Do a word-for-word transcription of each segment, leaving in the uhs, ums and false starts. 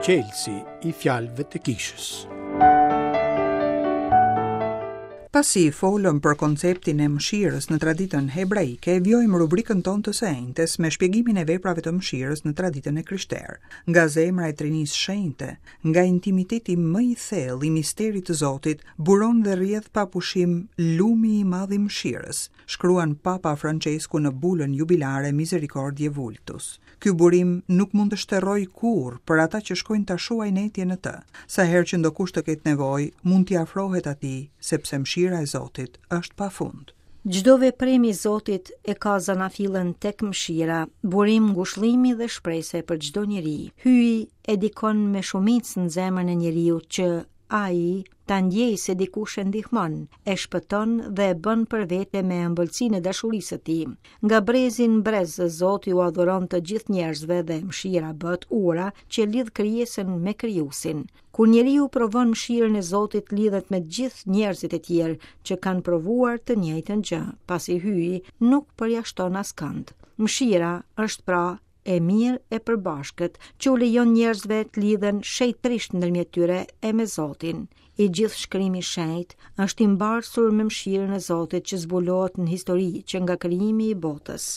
Çelësi i fjalëve të kishës. Pasi folëm për konceptin e mëshirës në traditën hebraike, vijojmë rubrikën tonë të së enjtes me shpjegimin e veprave të mëshirës në traditën e krishterë. Nga zemra e Trinisë Shenjte, nga intimiteti më i thellë i misterit të Zotit, buron dhe rrjedh pa pushim lumi i madh i mëshirës, shkruan Papa Francesku në bulën jubilare Misericordiae Vultus. Ky burim nuk mund të shterrojë kurrë për ata që shkojnë ta shuajnë etjen në të. Sa herë që ndokush të ketë nevojë, mund t'i afrohet atij, sepse mëshira e Zotit është pa fund. Çdo veprim i Zotit e ka zanafillën tek mëshira, burim ngushëllimi dhe shprese për çdo njeri. Hyji e dikon me shumicë në zemrën e njeriut që ai ta ndjej se dikush e ndihmon, e shpëton dhe e bën për vete me ëmbëlsinë e dashurisë së tij. Nga brezi në brez Zoti u adhuron të gjithë njerëzve dhe mëshira bëhet ura që lidh krijesën me krijuesin. Kur njeriu provon mëshirën e Zotit, lidhet me gjithë njerëzit e tjerë që kanë provuar të njëjtën gjë, pasi Hyji nuk përjashton askënd. Mëshira është pra e mirë e përbashkët, që u lejon njerëzve të lidhen shenjtërisht ndërmjet tyre e me Zotin. I gjithë shkrimi i shenjtë është i mbarsur me mëshirën e Zotit që zbulohet në histori që nga krijimi i botës.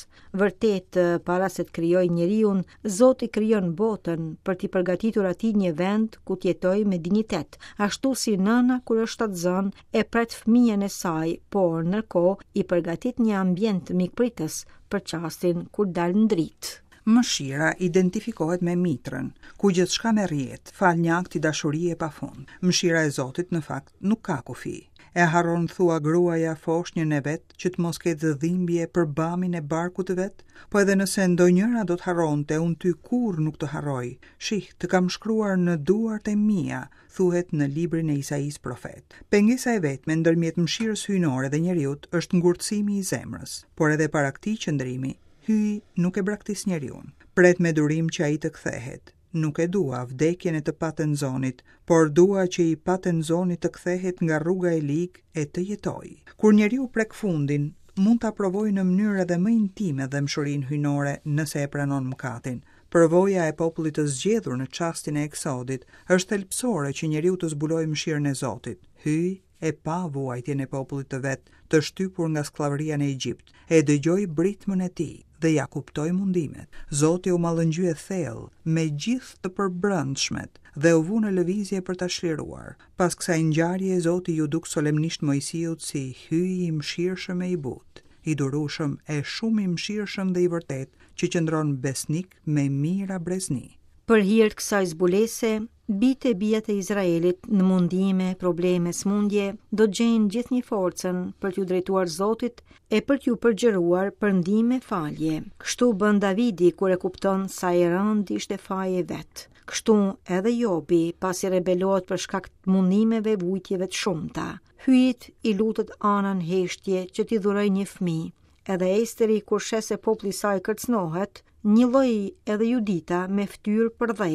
Vërtet, para se të krijojë njeriun, Zoti krijon botën për t'i përgatitur atij një vend ku të jetojë me dinjitet, ashtu si nëna kur është shtatzënë e pret fëmijën e saj, por ndërkohë i përgatit një ambient mikpritës për çastin kur dal në dritë. Mëshira identifikohet me mitrën, ku gjithçka merr jetë, fal një akti dashurie pa fund. Mëshira e Zotit në fakt nuk ka kufi. E harron thua gruaja foshnjën e vet që të mos ketë dhimbje për bamin e barkut të vet, po edhe nëse ndonjëra do të harronte, unë ty kurrë nuk të harroj. Shih, të kam shkruar në duart e mia, thuhet në librin e Isaisë profet. Pengesa e vetme ndërmjet mëshirës hyjnore dhe njeriut është ngurtësimi i zemrës, por edhe para këtij qëndrimi Hyji nuk e braktis njeriun. Pret me durim që ai të kthehet. Nuk e dua vdekjen e të patenzonit, por dua që i patenzoni të kthehet nga rruga e ligë e të jetojë. Kur njeriu prek fundin, mund ta provojë në mënyrë edhe më intime dhembshurinë hyjnore nëse e pranon mëkatin. Përvoja e popullit të zgjedhur në çastin e eksodit është thelbësore që njeriu të zbulojë mëshirën e Zotit. Hyji e pa vuajtjen e popullit të vet, të shtypur nga skllavëria në Egjipt, e dëgjoi britmën e tij dhe ja kuptoi mundimet. Zoti u mallëngjye thellë me gjithë të përbrendshmet dhe u vu në lëvizje për ta çliruar. Pas kësaj ngjarje Zoti ju duk solemnisht Moisiut si hyji i mëshirshëm e i butë, i durueshëm e shumë i mëshirshëm dhe i vërtet, që qëndron besnik me mijëra brezni. Për hir të kësaj zbulese, bijtë e bijat e Izraelit në mundime, probleme, smundje, do të gjejnë gjithnjë forcën për t'ju drejtuar Zotit e për t'ju përgjëruar për ndihmë e falje. Kështu bën Davidi kur e kupton sa i rëndë ishte faji i vet. Kështu edhe Jobi, pasi rebelohet për shkak të mundimeve e vujtjeve të shumta. Hyjit i lutet Ana në heshtje që t'i dhurojë një fëmijë. Edhe Esteri kur sheh se populli i saj kërcënohet, njëlloj edhe Judita me fytyrë për dhe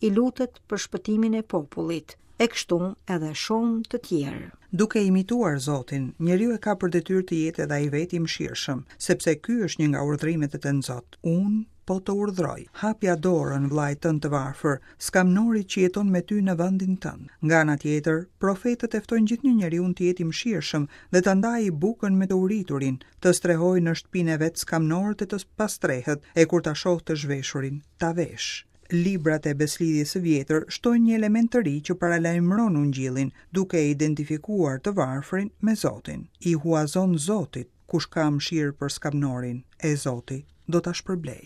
i lutet për shpëtimin e popullit, e kështu edhe shumë të tjerë. Duke imituar Zotin, njeriu e ka për detyrë të jetë edhe ai vetë i mëshirshëm, sepse ky është një nga urdhrimet e Tënzot. Unë po të urdhroj, hapja dorën vllait tënd të varfër, skamnorit që jeton me ty në vendin tënd. Nga ana tjetër, profetët e ftojnë gjithnjë njeriun të jetë i mëshirshëm dhe ta ndajë bukën me të uriturin, të strehojë në shtëpinë e vet skamnorët e të pastrehët, e kur ta shohë të zhveshurin, ta vesh. Librat e beslidhjes së vjetër shtojnë një element të ri që paralajmëron ungjillin, duke e identifikuar të varfrin me Zotin. I huazon Zotit kush ka mëshirë për skamnorin, e Zoti do ta shpërblej.